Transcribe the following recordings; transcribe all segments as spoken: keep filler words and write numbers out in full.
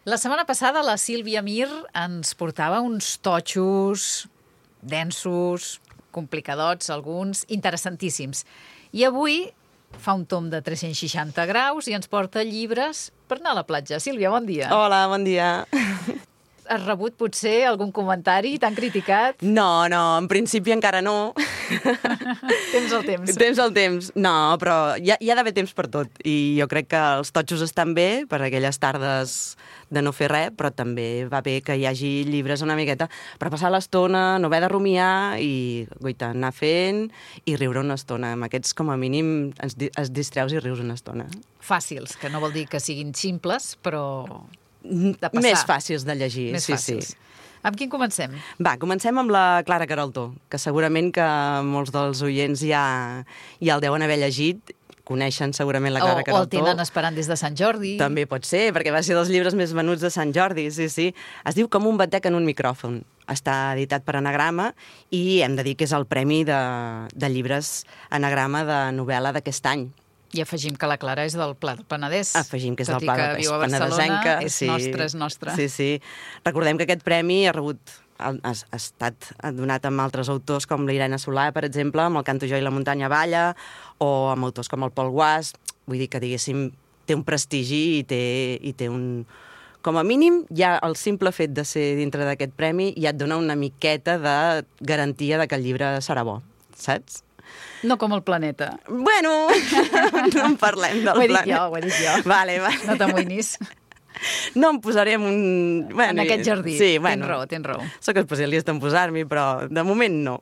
La setmana passada la Sílvia Mir ens portava uns totxos densos, complicadots, alguns, interessantíssims. I avui fa un tom de tres-cents seixanta graus i ens porta llibres per anar a la platja. Sílvia, bon dia. Hola, bon dia. Has rebut potser algun comentari? T'han criticat? No, no, en principi encara no. Temps al temps. Temps al temps. No, però hi ha, hi ha d'haver temps per tot. I jo crec que els totxos estan bé per aquelles tardes de no fer res, però també va bé que hi hagi llibres una miqueta per passar l'estona, no haver de rumiar i, guaita, anar fent i riure una estona. Amb aquests, com a mínim, es, es distreus i rius una estona. Fàcils, que no vol dir que siguin simples, però de passar. Més fàcils de llegir, Més sí, fàcils. sí. Amb quin comencem? Va, comencem amb la Clara Queraltó, que segurament que molts dels oients ja, ja el deuen haver llegit, coneixen segurament la Clara o, Queraltó. O el tenen esperant des de Sant Jordi. També pot ser, perquè va ser dels llibres més venuts de Sant Jordi, sí, sí. Es diu Com un batec en un micròfon. Està editat per Anagrama i hem de dir que és el premi de, de llibres Anagrama de novel·la d'aquest any. I afegim que la Clara és del Pla del Penedès. Afegim que és tot del Pla del Penedès. Tot i que viu a Barcelona, és sí. nostre, és nostre. Sí, sí. Recordem que aquest premi ha rebut ha, ha estat donat amb altres autors com l'Irene Solà, per exemple, amb el Canto jo i la muntanya balla, o amb autors com el Pol Guàs. Vull dir que, diguéssim, té un prestigi i té, i té un... Com a mínim, ja el simple fet de ser dintre d'aquest premi ja et dona una miqueta de garantia de que el llibre serà bo, saps? No com el planeta. Bueno, no en parlem del planeta. Ho he dit jo, ho he dit jo. Vale, vale. No t'amoïnis. No em posaré en un... Bueno, en aquest jardí. Sí, bueno, tens raó, tens raó. Soc especialista en posar-m'hi, però de moment no.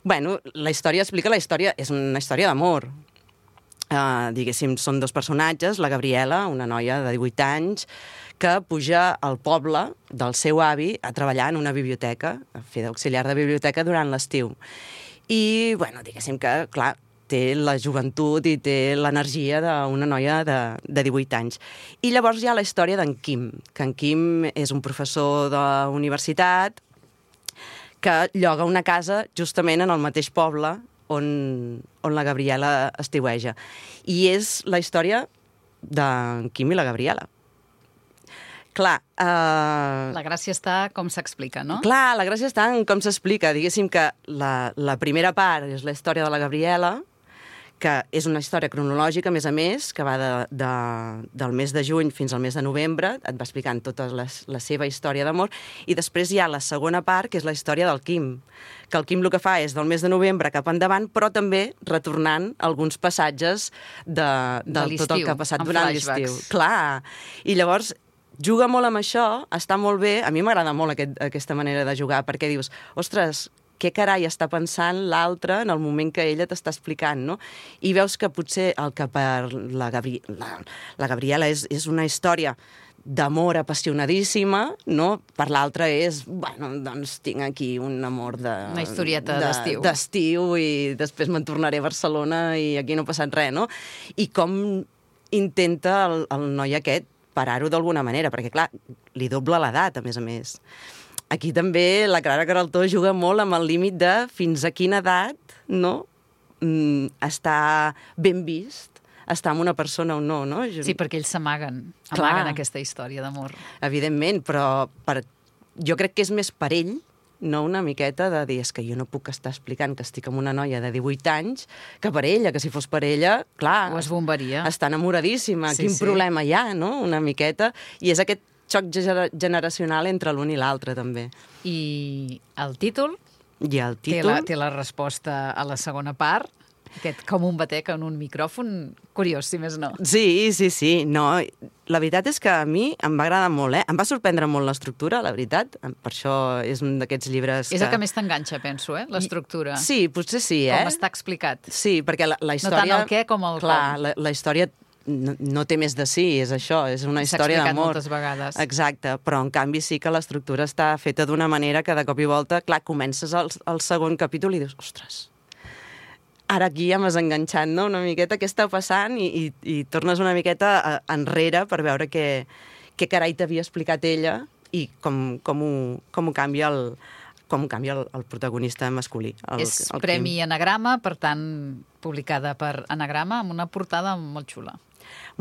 Bueno, la història explica la història... És una història d'amor. Uh, diguéssim, són dos personatges, la Gabriela, una noia de divuit anys, que puja al poble del seu avi a treballar en una biblioteca, a fer d'auxiliar de biblioteca durant l'estiu. I, bueno, diguéssim que, clar, té la joventut i té l'energia d'una noia de, de divuit anys. I llavors hi ha la història d'en Quim, que en Quim és un professor de universitat que lloga una casa justament en el mateix poble on, on la Gabriela estiueja. I és la història d'en Quim i la Gabriela. Clar... Uh... La gràcia està com s'explica, no? Clar, la gràcia està en com s'explica. Diguéssim que la, la primera part és la història de la Gabriela, que és una història cronològica, a més a més, que va de, de, del mes de juny fins al mes de novembre, et va explicant tota la, la seva història d'amor, i després hi ha la segona part, que és la història del Quim, que el Quim el que fa és del mes de novembre cap endavant, però també retornant alguns passatges de, de, de tot el que ha passat durant l'estiu. Clar, i llavors... juga molt amb això, està molt bé. A mi m'agrada molt aquest, aquesta manera de jugar, perquè dius, ostres, què carai està pensant l'altre en el moment que ella t'està explicant, no? I veus que potser el que per la, Gabri la, la Gabriela és, és una història d'amor apassionadíssima, no? Per l'altra és, bueno, doncs tinc aquí un amor de... Una historieta d'estiu. De, d'estiu i després me'n tornaré a Barcelona i aquí no ha passat res, no? I com intenta el, el noi aquest parar-ho d'alguna manera, perquè, clar, li dobla l'edat, a més a més. Aquí també la Clara Queraltó juga molt amb el límit de fins a quina edat, no?, mm, està ben vist, estar amb una persona o no, no? Sí, perquè ells s'amaguen, amaguen aquesta història d'amor. Evidentment, però per... jo crec que és més per ell, no una miqueta de dir, és que jo no puc estar explicant que estic amb una noia de divuit anys, que per ella, que si fos per ella, clar... Ho esbombaria. Està enamoradíssima, sí, quin sí. problema hi ha, no?, una miqueta. I és aquest xoc generacional entre l'un i l'altre, també. I el títol? I el títol... Té la, té la resposta a la segona part, aquest com un batec en un micròfon, curiós, si més no. Sí, sí, sí, no... La veritat és que a mi em va agradar molt, eh? Em va sorprendre molt l'estructura, la veritat. Per això és un d'aquests llibres que... És el que més t'enganxa, penso, eh? L'estructura. Sí, potser sí, eh? Com està explicat. Sí, perquè la, la història... No tant el què com el Clar, com. La, la història no, no té més de sí, és això, és una història d'amor. S'ha explicat moltes vegades. Exacte, però en canvi sí que l'estructura està feta d'una manera que de cop i volta, clar, comences el, el segon capítol i dius, ostres, ara aquí ja m'has enganxat, no?, una miqueta què està passant i, i, i tornes una miqueta enrere per veure què, què carai t'havia explicat ella i com, com, ho, com ho canvia el, com canvia el, el protagonista masculí. El, És el Premi Quim. Anagrama, per tant, publicada per Anagrama, amb una portada molt xula.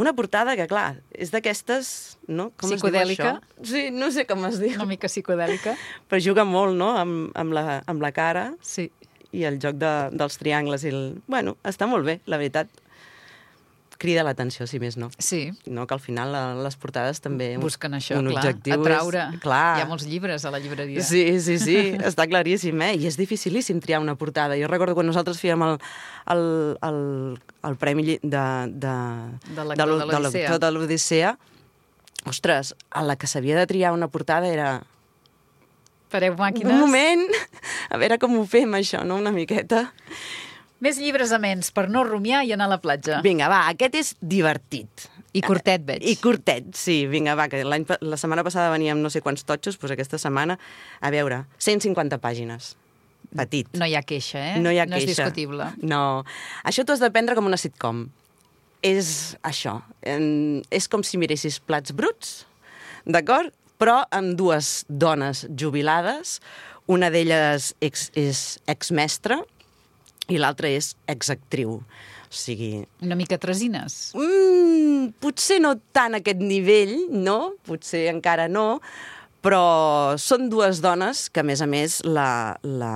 Una portada que, clar, és d'aquestes... No? Com Psicodèlica. Es diu això? Sí, no sé com es diu. Una mica psicodèlica. Però juga molt, no?, amb, amb, la, amb la cara Sí. i el joc de, dels triangles. I el... Bueno, està molt bé, la veritat. Crida l'atenció, si més no. Sí. No, que al final la, les portades també... Un, Busquen això, un clar, objectiu atraure. És, clar. Hi ha molts llibres a la llibreria. Sí, sí, sí, està claríssim, eh? I és dificilíssim triar una portada. Jo recordo quan nosaltres fèiem el, el, el, el premi de, de, De lector de l'Odissea. de l'Odissea, ostres, a la que s'havia de triar una portada era... Fareu màquines? Un moment, a veure com ho fem, això, no?, una miqueta. Més llibres amens per no rumiar i anar a la platja. Vinga, va, aquest és divertit. I curtet, veig. I curtet, sí. Vinga, va, que l'any, la setmana passada veníem no sé quants totxos, doncs aquesta setmana, a veure, cent cinquanta pàgines. Petit. No hi ha queixa, eh? No hi ha no queixa. és discutible. No. Això t'ho has de prendre com una sitcom. És això. En, és com si miressis Plats bruts, d'acord? Però amb dues dones jubilades. Una d'elles ex, és exmestra i l'altra és exactriu. O sigui... Una mica tresines. Mm, potser no tant a aquest nivell, no? Potser encara no, però són dues dones que, a més a més, la, la,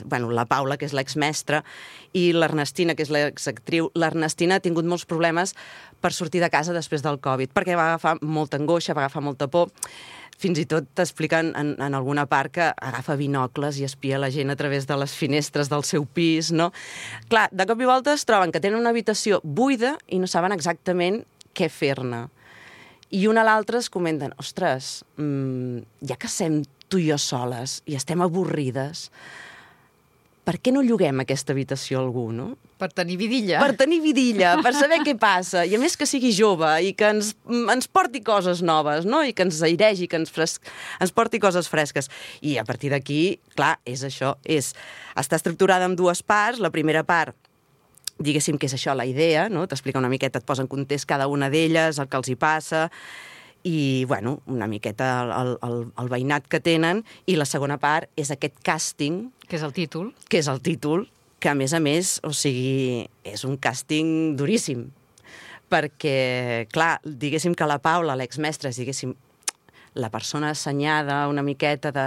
bueno, la Paula, que és l'exmestra, i l'Ernestina, que és l'exactriu, l'Ernestina ha tingut molts problemes per sortir de casa després del Covid, perquè va agafar molta angoixa, va agafar molta por. Fins i tot t'expliquen en, en alguna part que agafa binocles i espia la gent a través de les finestres del seu pis, no? Clar, de cop i volta es troben que tenen una habitació buida i no saben exactament què fer-ne. I una a l'altra es comenten, ostres, mmm, ja que estem tu i jo soles i estem avorrides, per què no lloguem aquesta habitació a algú, no? Per tenir vidilla. Per tenir vidilla, per saber què passa, i a més que sigui jove i que ens, ens porti coses noves, no? I que ens airegi, que ens, fres... ens porti coses fresques. I a partir d'aquí, clar, és això, és... Està estructurada en dues parts. La primera part, diguéssim que és això, la idea, no? T'explica una miqueta, et posa en context cada una d'elles, el que els hi passa, i, bueno, una miqueta el, el, el veïnat que tenen, i la segona part és aquest càsting... Que és el títol. Que és el títol, que a més a més, o sigui, és un càsting duríssim. Perquè, clar, diguéssim que la Paula, l'exmestra, és, diguéssim, la persona assenyada una miqueta de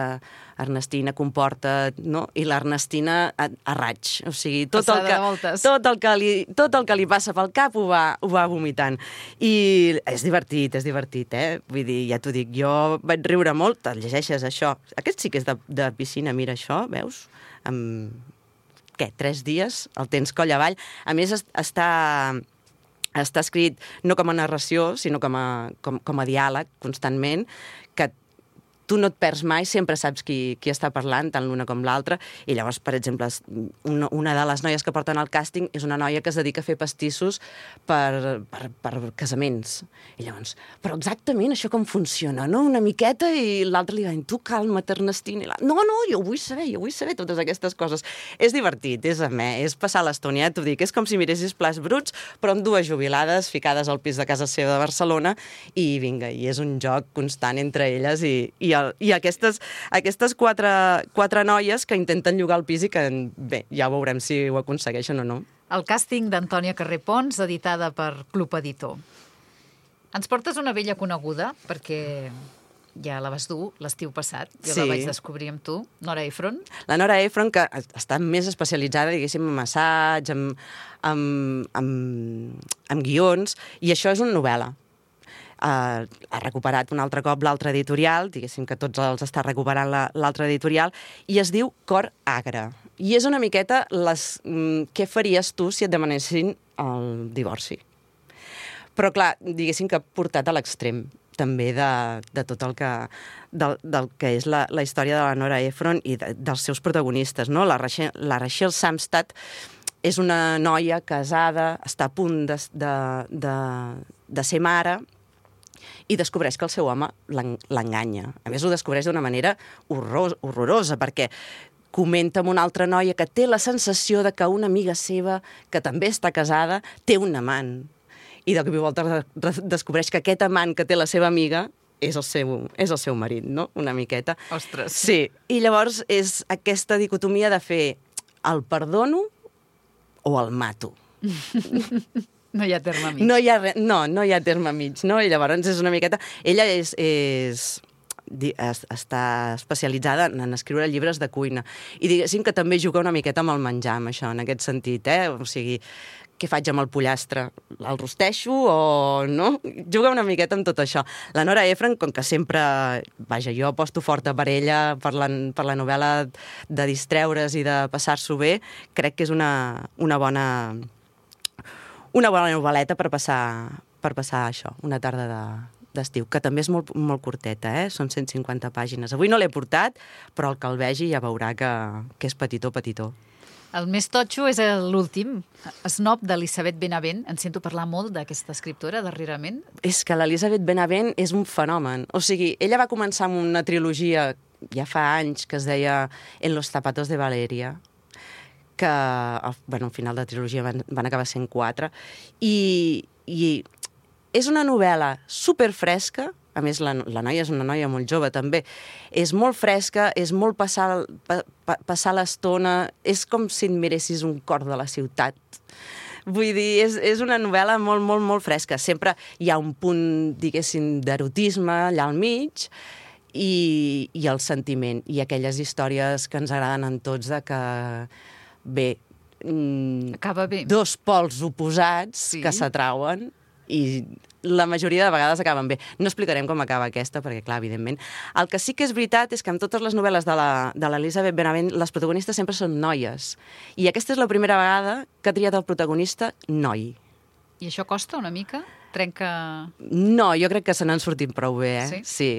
Ernestina, comporta't, no? I l'Ernestina a, a raig. O sigui, tot el, que, tot, el que li, tot el que li passa pel cap ho va, ho va vomitant. I és divertit, és divertit, eh? Vull dir, ja t'ho dic, jo vaig riure molt, te'l llegeixes, això. Aquest sí que és de, de piscina, mira això, veus? Amb, què, tres dies, el tens coll avall. A més, està... està escrit no com a narració, sinó com a, com, com a diàleg, constantment, que tu no et perds mai, sempre saps qui, qui està parlant, tant l'una com l'altra, i llavors, per exemple, una, una de les noies que porten al càsting és una noia que es dedica a fer pastissos per, per, per casaments. I llavors, però exactament això com funciona, no? Una miqueta, i l'altre li va dir, tu calma't, Ernestina. I la... No, no, jo vull saber, jo vull saber totes aquestes coses. És divertit, és amè, és passar l'estona, ja t'ho dic, és com si miressis Plats bruts, però amb dues jubilades ficades al pis de casa seva de Barcelona, i vinga, i és un joc constant entre elles, i, i el, i aquestes, aquestes quatre, quatre noies que intenten llogar el pis i que, bé, ja veurem si ho aconsegueixen o no. El càsting d'Antònia Carré Pons, editada per Club Editor. Ens portes una vella coneguda, perquè ja la vas dur l'estiu passat, jo sí. La vaig descobrir amb tu, Nora Ephron. La Nora Ephron, que està més especialitzada, diguéssim, en assaig, en, en, en, en guions, i això és una novel·la. Uh, ha recuperat un altre cop l'altre editorial, diguéssim que tots els està recuperant l'altre editorial, i es diu Cor Agre. I és una miqueta les, mm, què faries tu si et demanessin el divorci. Però clar, diguéssim que portat a l'extrem també de, de tot el que, del, del que és la, la història de la Nora Ephron i de, dels seus protagonistes, no? La Rachel, la Rachel Samstad és una noia casada, està a punt de, de, de, de ser mare, i descobreix que el seu home l'enganya. A més, ho descobreix d'una manera horror, horrorosa, perquè comenta amb una altra noia que té la sensació de que una amiga seva, que també està casada, té un amant. I de cop i volta descobreix que aquest amant que té la seva amiga és el seu, és el seu marit, no? Una miqueta. Ostres. Sí, i llavors és aquesta dicotomia de fer el perdono o el mato. No hi ha terme mig. No hi ha, re... no, no hi ha terme mig, no? I llavors és una miqueta... Ella és... és... està especialitzada en escriure llibres de cuina. I diguéssim que també juga una miqueta amb el menjar, amb això, en aquest sentit, eh? O sigui, què faig amb el pollastre? El rosteixo o no? Juga una miqueta amb tot això. La Nora Ephron, com que sempre... Vaja, jo aposto forta per ella, per la, per la novel·la de distreure's i de passar-s'ho bé, crec que és una, una bona... una bona novel·leta per passar, per passar això, una tarda de, d'estiu, que també és molt, molt curteta, eh? Són cent cinquanta pàgines. Avui no l'he portat, però el que el vegi ja veurà que, que és petitó, petitó. El més totxo és l'últim, Snob, d'Elisabeth Benavent. En sento parlar molt d'aquesta escriptora darrerament. És que l'Elisabeth Benavent és un fenomen. O sigui, ella va començar amb una trilogia ja fa anys que es deia En los zapatos de Valeria, que, bueno, al final de la trilogia van, van acabar sent quatre, i, i és una novel·la superfresca. A més, la, la noia és una noia molt jove, també. És molt fresca, és molt passar, pa, pa, passar l'estona, és com si et miressis un cor de la ciutat. Vull dir, és, és una novel·la molt, molt, molt fresca. Sempre hi ha un punt, diguéssim, d'erotisme allà al mig i, i el sentiment. I aquelles històries que ens agraden en tots de que, bé, acaba bé. Dos pols oposats sí. que s'atrauen i la majoria de vegades acaben bé. No explicarem com acaba aquesta, perquè, clar, evidentment. El que sí que és veritat és que en totes les novel·les de l'Elisabeth Benavent les protagonistes sempre són noies. I aquesta és la primera vegada que ha triat el protagonista noi. I això costa una mica? Trenca... No, jo crec que se n'han sortit prou bé, eh? Sí? Sí.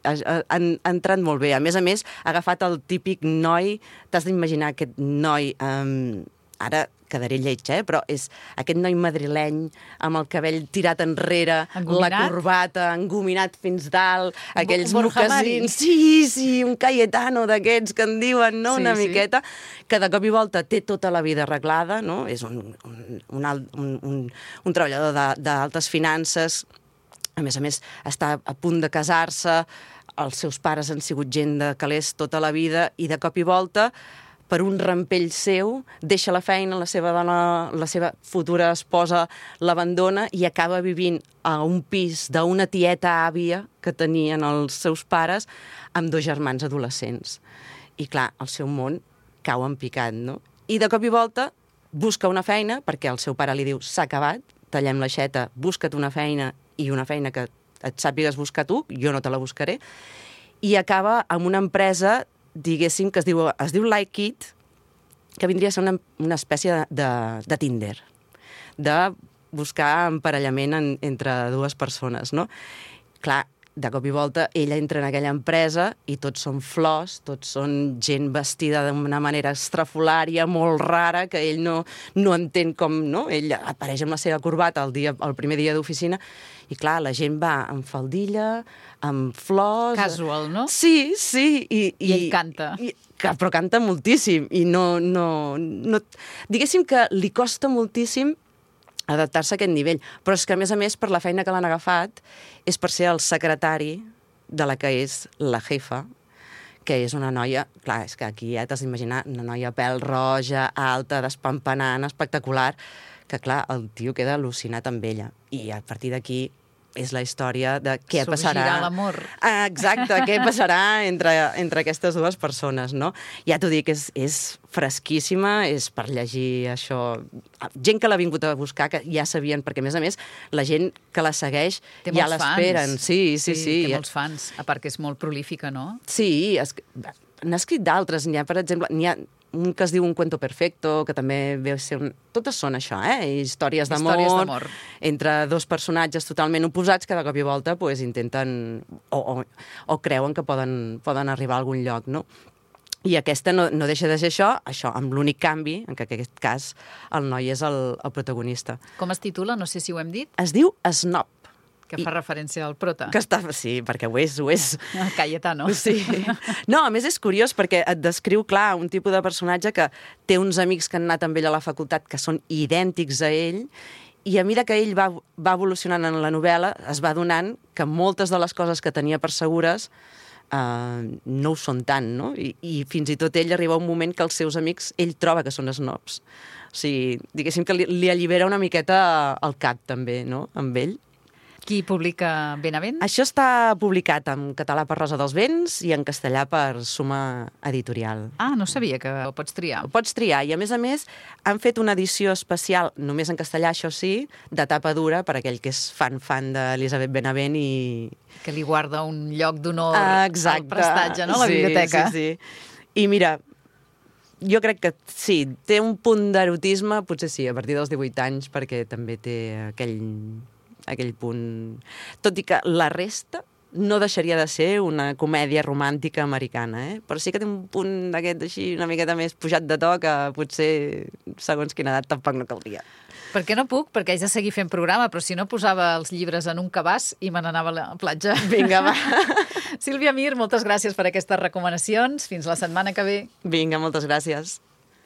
Han, ha entrat molt bé. A més a més, ha agafat el típic noi... T'has d'imaginar aquest noi... Um, ara quedaré lleig, eh? Però és aquest noi madrileny amb el cabell tirat enrere, engominat? La corbata, engominat fins dalt, aquells mocassins... Sí, sí, un Cayetano d'aquests que en diuen, no? Sí, una sí. miqueta, que de cop i volta té tota la vida arreglada, no? És un, un, un, un, un, un treballador d'altes finances, a més a més està a punt de casar-se, els seus pares han sigut gent de calés tota la vida i de cop i volta per un rampell seu, deixa la feina, la seva dona, la seva futura esposa l'abandona i acaba vivint a un pis d'una tieta àvia que tenien els seus pares amb dos germans adolescents. I clar, el seu món cau en picat, no? I de cop i volta busca una feina, perquè el seu pare li diu s'ha acabat, tallem l'aixeta, busca't una feina i una feina que et sàpigues buscar tu, jo no te la buscaré, i acaba amb una empresa diguéssim, que es diu, es diu Like It, que vindria a ser una, una espècie de, de, de Tinder, de buscar emparellament en, entre dues persones, no? Clar, de cop i volta, ella entra en aquella empresa i tots són flors, tots són gent vestida d'una manera estrafolària, molt rara, que ell no, no entén com, no? Ell apareix amb la seva corbata el, dia, el primer dia d'oficina i, clar, la gent va amb faldilla, amb flors... Casual, no? Sí, sí. I, I, I ell canta. I, però canta moltíssim i no, no, no... Diguéssim que li costa moltíssim adaptar-se a aquest nivell. Però és que, a més a més, per la feina que l'han agafat, és per ser el secretari de la que és la jefa, que és una noia... Clar, és que aquí ja t'has d'imaginar una noia pèl roja, alta, despampanant, espectacular, que, clar, el tio queda al·lucinat amb ella. I a partir d'aquí és la història de què passarà... Sorgirà l'amor. Ah, exacte, què passarà entre, entre aquestes dues persones, no? Ja t'ho dic, és, és fresquíssima, és per llegir això... Gent que l'ha vingut a buscar, que ja sabien, perquè, a més a més, la gent que la segueix té ja l'esperen. Sí, sí, sí. Sí, té molts fans, a part que és molt prolífica, no? Sí, es... n'ha escrit d'altres. N'hi ha, per exemple, n'hi ha un que es diu Un cuento perfecto, que també ve a ser un... Totes són això, eh? Històries d'amor entre dos personatges totalment oposats que de cop i volta pues, intenten o, o, o creuen que poden, poden arribar a algun lloc, no? I aquesta no, no deixa de ser això, això amb l'únic canvi, en que en aquest cas el noi és el, el protagonista. Com es titula? No sé si ho hem dit. Es diu Snob. Que fa I, referència al prota. Que està, sí, perquè ho és, ho és. El Cayetano. Sí. No, a més és curiós perquè et descriu, clar, un tipus de personatge que té uns amics que han anat amb ell a la facultat que són idèntics a ell I a mesura que ell va, va evolucionant en la novel·la, es va donant que moltes de les coses que tenia per segures uh, no ho són tant, no? I, I fins i tot ell arriba a un moment que els seus amics, ell troba que són snobs. O sigui, diguéssim que li, li allibera una miqueta el cap, també, no?, amb ell. Qui publica Benavent? Això està publicat en català per Rosa dels Vents i en castellà per Suma Editorial. Ah, no sabia que ho pots triar. Ho pots triar, i a més a més han fet una edició especial, només en castellà, això sí, de tapa dura, per aquell que és fan-fan d'Elisabet Benavent i... Que li guarda un lloc d'honor ah, al prestatge, no?, a la sí, biblioteca. Sí, sí. I mira, jo crec que sí, té un punt d'erotisme, potser sí, a partir dels divuit anys, perquè també té aquell... aquell punt... Tot i que la resta no deixaria de ser una comèdia romàntica americana, eh? Però sí que té un punt d'aquest així una miqueta més pujat de to que potser, segons quina edat, tampoc no caldria. Perquè no puc, perquè haig de seguir fent programa, però si no posava els llibres en un cabàs i me n'anava a la platja. Vinga, va. Sílvia Mir, moltes gràcies per aquestes recomanacions. Fins la setmana que ve. Vinga, moltes gràcies.